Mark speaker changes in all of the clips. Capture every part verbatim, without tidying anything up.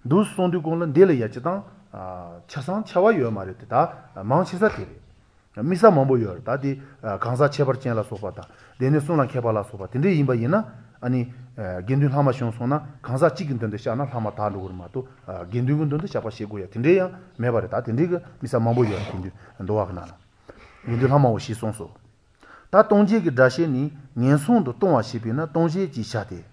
Speaker 1: dus sondu kongla dele ya chitang chasan chawa yo mare ta mangchisa tere misa mambo yo ta di gangsa chebar chen la sopa ta dene sona kheba la sopa tinde yimba yina ani gendun hama shon sona gangsa chigin den de shana hama ta lu ma to gendun gun de chapa shego ya tinde ya mebare ta tinde ga misa mambo yo tinde ndo wa na gendun hama wo shi son so ta tongje ge dashi ni nyen son do tongwa shibi na tongje ji sha de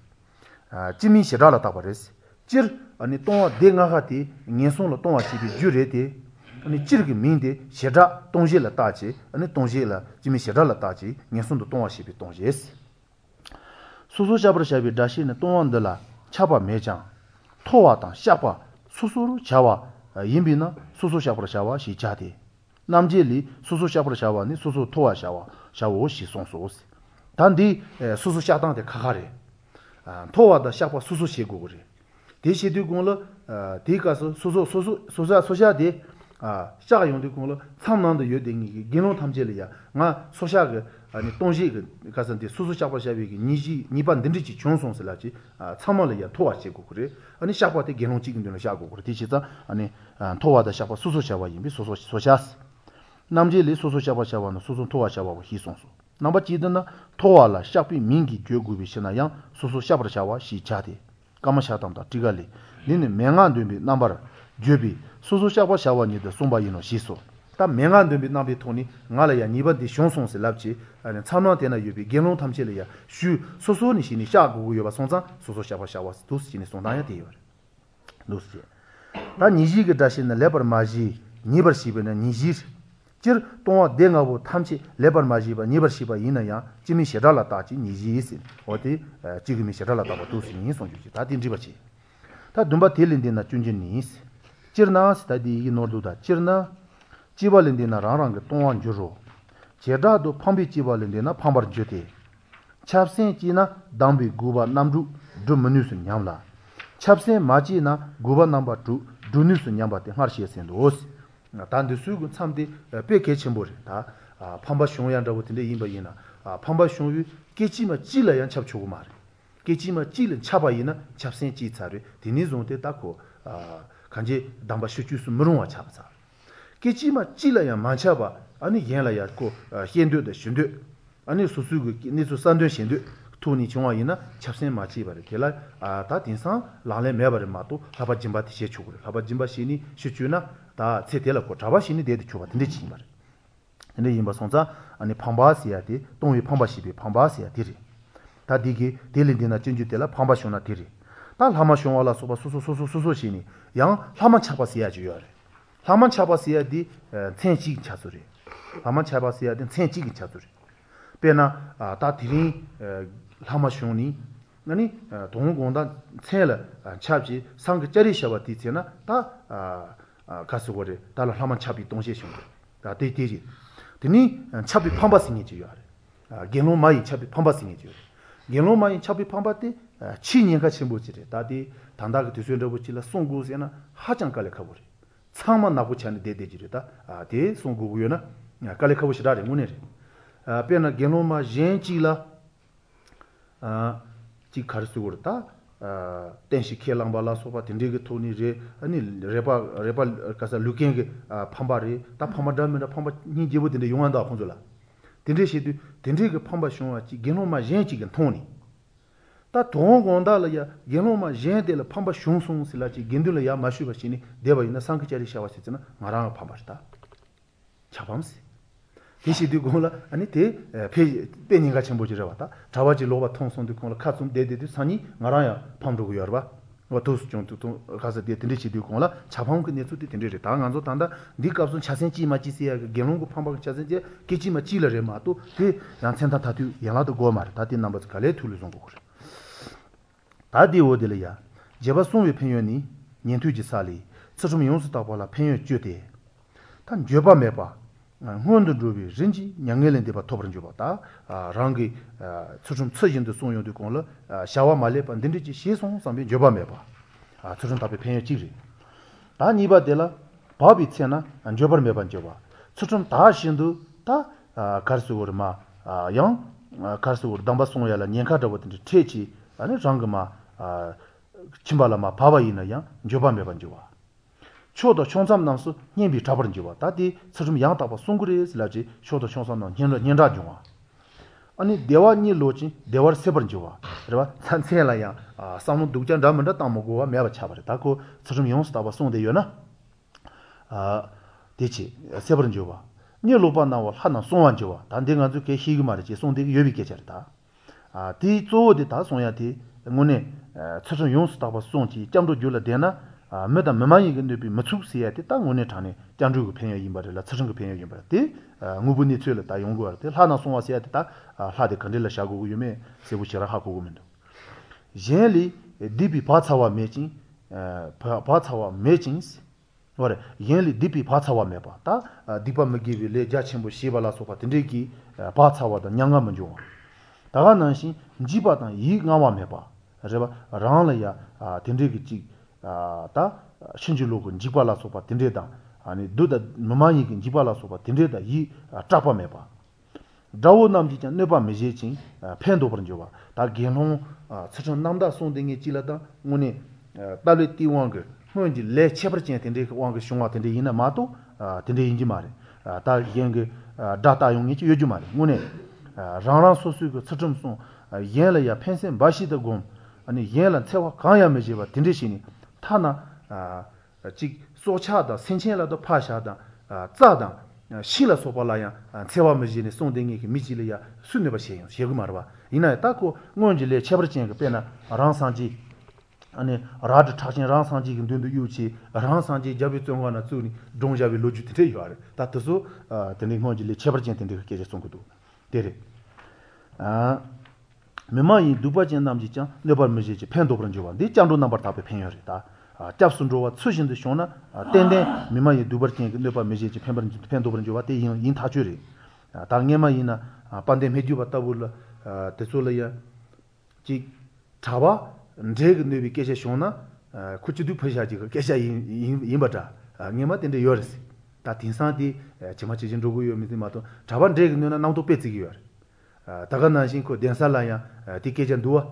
Speaker 1: jimi shira la ta bares jir 아니 동화 대가가티 년송로 동화 집이 주레데 아니 지르기 민데 셰다 동시라 따지 아니 동시라 지미 셰다라 따지 년송도 동화 집이 동시스 수수샤브르샤비 다시는 동원들라 차바 매장 토와다 샤바 수수로 자와 인비나 수수샤브르샤와 시자디 남제리 수수샤브르샤와니 수수 토와샤와 샤오 시송소스 단디 수수샤당데 카가레 토와다 샤바 수수시고그리 대시도 공로 대가서 소소 소소 소자 소샤데 아 샤가 용도 공로 참난도 요딩이 기노 탐제리야 나 소샤가 아니 동시그 가선데 소소 샤바샤비기 니지 니반 든지지 총송슬라지 아 참말이야 토와시고 그래 아니 샤바데 기노 찍은데는 샤고 그래 대시다 아니 토와다 샤바 소소 샤바 임비 소소 소샤스 남제리 소소 샤바샤와는 소소 토와샤바고 희송소 남바 지드나 토와라 샤비 민기 죄구비 시나양 소소 샤바샤와 시차데 까마샤담다 디갈리 니네 맹안되비 남바라 죄비 소소샤바 샤와니데 송바이노 시소 다 맹안되비 남비 토니 나라야 니바디 숑송스 랍지 아니 참나데나 유비 게노 탐체리야 슈 소소니 시니 샤고 요바 송자 소소샤바 샤와스 두스치니 송다야 데요 루스 다 니지게 다시나 레버 마지 니버시베나 니지 저 동화 댕하고 탐치 레버 마지바 니버시바 이나야 지미 셰달라 따지 니지스 어디 지금이 셰달라 따고 두스니 송주지 다 딘지바치 다 dumba telindina chunjinis chirna stadi inorduda chirna chibalindina rarang tongwan juro cheda do phambi chibalindina phambar jote chapsen china dambi guba namdu du menus nyamla chapsen maji na guba number two dunus nyamba te harshi sendos 단데 수고 참데 베케 쳔보리 다 판바 숑얀다고 근데 임바이나 판바 숑유 깨지마 찔러야 잡초고 말 깨지마 찔은 차바이나 잡센 지차르 디니존데 딱고 간지 담바 슈추스 무롱와 잡자 깨지마 찔러야 만차바 아니 yen라야 고 현도데 신도 아니 수수고 니수 산도 신도 토니 정화이나 잡센 마치 바르 게라 아다 딘상 라레 메바르 마도 하바 짐바티 셰추고 하바 짐바 시니 슈추나 다 세텔고 잡아시니 데드 추가 근데 지말 근데 임바 손자 아니 팜바시야디 동위 팜바시비 팜바시야 디리 다 디기 딜린디나 진주텔라 팜바쇼나 디리 다 하마쇼와라 소바 소소소소소시니 양 하만 차바시야지 요래 하만 차바시야디 텐치 차소리 하만 차바시야디 텐치 차소리 베나 다 디리 하마쇼니 아니 동공다 첼라 차비 상그 자리샤바 디체나 다 가스고레 달라 하만 차비 동시에 다 데데지 드니 차비 팜바싱이지요 아 게노 마이 차비 팜바싱이지요 게노 마이 차비 팜바티 치년 같이 뭐지래 다디 단다가 되서도 붙이라 송구세나 하장 깔래 가버리 창만 나고 차는 데데지르다 아데 송구고요나 깔래 가버시라래 문에래 아 페나 게노 마 젠치라 아지 가르스고르다 아 댄시 켈랑발라 소바 딘디게 토니제 아니 레바 레바 가사 루킹게 팜바리 다 팜바다메나 팜바 니제보데 용한다 혼줄라 딘디시디 딘디게 팜바 쇼와치 게노마 젠치게 토니 다 동gon다라야 게노마 젠데라 팜바 숑송실라치 겐들라야 마슈바시니 데바이나 상크자리 샤와시잖아 마랑 팜바스다 차밤스 디시디 고라 아니 데 페니가 첨보지라 왔다 자와지 로바 통송도 고라 카좀 데데디 산이 나라야 팜도고 여봐 와토스 좀또 가서 데 딘디시디 고라 자방 근데 수디 딘디리 당안조 단다 니값은 차센지 마치시야 게농고 팜바 차센지 기지마 찌르레 마도 데 양센타 타투 양아도 고말 다디 넘버 칼레 툴루송 고그래 다디 오딜이야 제바 송위 편연이 년투지 살이 서좀 용수다 볼라 편연 쥐데 단 쥐바 메바 혼도 주비 렌지 냥엘렌데 바 토브른 줘봤다 아 랑기 수좀 처진도 송용도 공로 샤와 말레 반딘지 시송 상비 줘봐메 봐아 수좀 답에 편여 지리 다 니바데라 바비 챤나 안 줘버메 반 줘봐 수좀 다 신도 다 가르스고르마 아영 가르스고르 담바 송야라 년카도 버든지 퇴치 아니 랑그마 아 침발라마 바바이나 양 조밤에 반지와 초도 총삼 남수 님비 잡버는지와 다디 서좀 양다바 송그레스라지 초도 총삼 남 년라 년라 중와 아니 대화니 로지 대화 세번지와 그러봐 산세라야 아 상무 독장 담은다 담고와 매바 차버려 다고 서좀 용스다바 송대요나 아 대치 세번지와 니 로바나와 하나 송완지와 단대가 주게 희그 말이지 송대기 여비게 잘다 아 디조데 다 송야디 응원에 서좀 용스다바 송지 잠도 줄라 되나 아 메다 메마이 근데비 맞축시야데 땅 원에 타네 장주고 편여 임바를 서정거 편여 임바데 ngu분이 틀을 다 연구할 때 하나 송와시야데 다 하데 컨딜라 샤고 유메 세부시라 하고 고면도 젤리 디비 파차와 매진 파차와 매진스 뭐래 젤리 디비 파차와 매바 다 디바 먹기비 레자침부 시발라 소파 딘데기 파차와다 냥가면 줘 다가난시 지바다 이 나와 매바 그래봐 랑라야 딘데기 지 다 신주로군 지발라 소파 딘데다 아니 두다 마마이긴 지발라 소파 딘데다 이 짜파 매바 다오 남지자 네바 메제진 팬도 버는 줘봐 다 게노 서전 남다 송댕이 찔라다 오니 달리 띠왕거 뭔지 레 쳬버진 딘데 왕거 숑와 딘데 이나 마도 딘데 인지 말에 다 yen게 다타 용이 요주 말에 오니 랑랑 소수고 서점송 옌라야 펜센 바시다 곰 아니 옌라 채와 가야 메제바 딘데시니 타나 지 소차다 생체라도 파샤다 짜다 실라 소발라야 채와 메지니 송댕이 미지리야 순네바 셰요 셰고 말바 이나 딱고 뭔지레 쳬버진 그 빼나 랑상지 아니 라드 타신 랑상지 근데 유치 랑상지 잡이 정화나 주니 동잡이 로주테 요아레 다트소 데니 뭔지레 쳬버진 텐데 그게 송고도 데레 아 메마이 두바진 남지짱 네발 메지지 펜도 그런 줘봐 네 장도 넘버 답에 펜여리다 아 잡순조와 수신의 쇼나 땡땡 메마이 두버진 네발 메지지 펜버진 펜도 그런 줘봐 대 인타주리 아 당에마이나 반데 메주 바타불 데솔이야 지 타바 제그 네비 계셔 쇼나 쿠치두 퍼샤지 그 계셔 인바다 녜마 땡데 요르스 다 딘산디 지마치진 로고 요미디 마도 자반 제그 네나 나우도 빼지기 요 다가나신 코 덴살라야 티케전 두아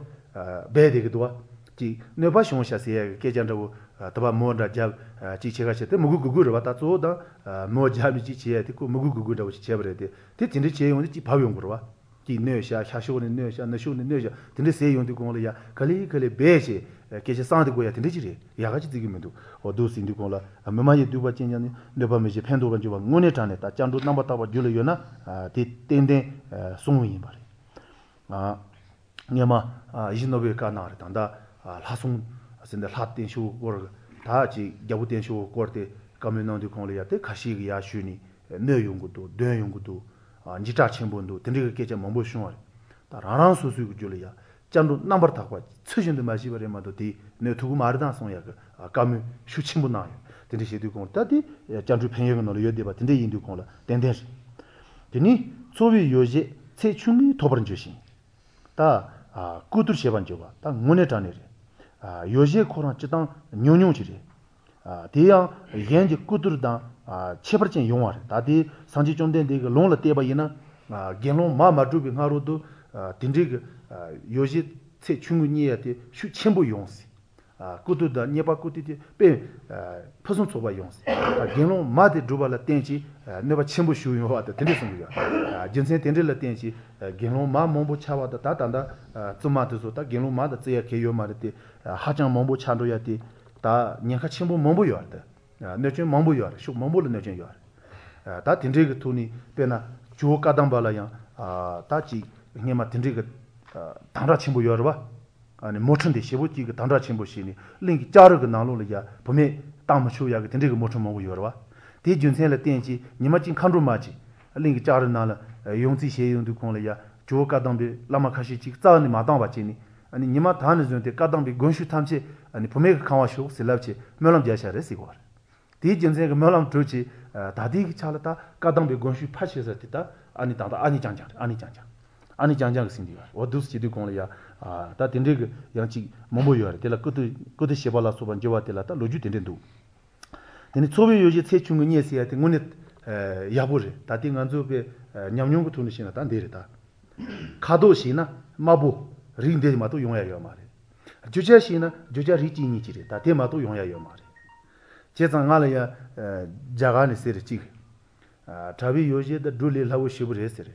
Speaker 1: 베데게 두아 지 네바 쇼샤세 케전도 타바 모다 잡 지체가 쳇데 무구구구르 바타 조다 모자미 지체에 티코 무구구구다 지 제버레데 티 진데 제용디 지 바용구르 와 지 네샤 샤쇼네 네샤 나쇼네 네샤 근데 세용디 공을야 칼리 칼리 베시 계시 상데 고야 근데 지리 야가지 디기면도 어도스인디 공라 메마이 두바 찐냐니 네바메지 펜도가 주바 응원에 타네 다 짱도 넘버 타바 줄려요나 디 땡땡 송위 말이 아 냐마 이신노베 까나르 단다 라송 아신데 라텐쇼 고르 다지 야부텐쇼 고르테 커뮤니티 공리야테 카시기 야슈니 네용고도 되용고도 니타 쳔본도 딘디게 계제 몽보숑어 다 라랑 소수고 줄이야 짬도 넘버 타고 처신도 마시버레마도 디 네투고 마르단 송야 그 까미 슈친부 나요 딘디시도 공 따디 짬주 팽여가 노려 여데바 딘디 인도 공라 덴덴 디니 소비 요제 세충이 도버는 주신 다 꾸들 세반조가 딱 문에 다니래 아 요제 코로나 찌당 뇽뇽지리 아 대야 현재 꾸들다 아 체버진 용화래 다디 상지 좀 된데 그 롱라 떼바이나 아 겐롱 마마주비 하루도 딘디 요제 세충이야데 슈 첨부 용시 아 꾸들다 네바 꾸티디 빼 퍼슨 소바 용시 아 겐롱 마데 두발라 땡지 네바 첨부 슈 용화다 딘디 송이야 아 진세 딘디라 땡지 겐롱 마 몽보 차와다 다단다 쯤마도서 겐롱 마다 쯔야 개요 말때 하장 몽보 찬도야디 다 녀카 첨부 몽보 요다 너좀 몽보 요 쇼 몽보를 너좀 요 다 딘디가 토니 빼나 조 까당발라야 아 다지 녀마 딘디가 당라 첨부 요러 봐 아니 모천데 시부지 그 당라 첨부 시니 링기 짜르가 나로려야 범에 땅마쇼야 그 딘디가 모천 몽보 요러 봐 대준생라 땡지 녀마진 칸루마지 링기 짜르 나라 용지 셰용도 공려야 조 까당비 라마카시 지 짜니 마당 바치니 아니 니마 다는 좀데 까당비 건슈 탐치 아니 범에 강화쇼 실랍치 멸람 자샤레시고 디 진생가 멸람 트치 다디 차라다 까당비 건슈 파시서 됐다 아니 다다 아니 장장 아니 장장 아니 장장 신디가 어두스지도 공려야 아다 딘데 양치 몸보여 될라 그도 그도 셰발라 소반 저와텔라다 로주 딘데도 근데 소비 요지 세충은 예시야 등원에 야보르 다딩 안조베 냠뇽고 투니시나 단 데르다 카도시나 마부 링데마도 용해요 말에 주자시나 주자 리지니 지리 다 대마도 용야요 말이 제상알이야 자가니 세르지 아 답이 요제다 둘리 하고 싶으레스레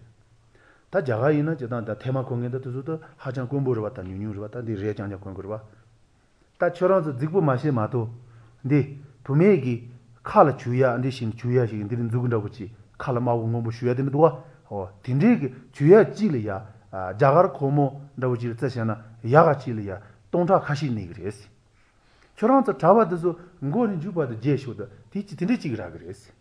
Speaker 1: 다 자가이나 제단 다 테마 공연도 두도 하장 공부를 봤다 뉴뉴를 봤다 네 레장자 공부를 봐다 저런서 직부 마시 마도 근데 분명히 칼 주야 안데 신 주야 신 들은 누군다고 지 칼 마고 뭐 쉬어야 되는 도와 어 딘데 주야 찌리야 아 자가르 고모 nda고 지 뜻이나 야가 찌리야 동타 가시니 그랬어 저런서 잡아도 ngo는 주바도 제쇼도 뒤치 딘데 찌그라 그랬어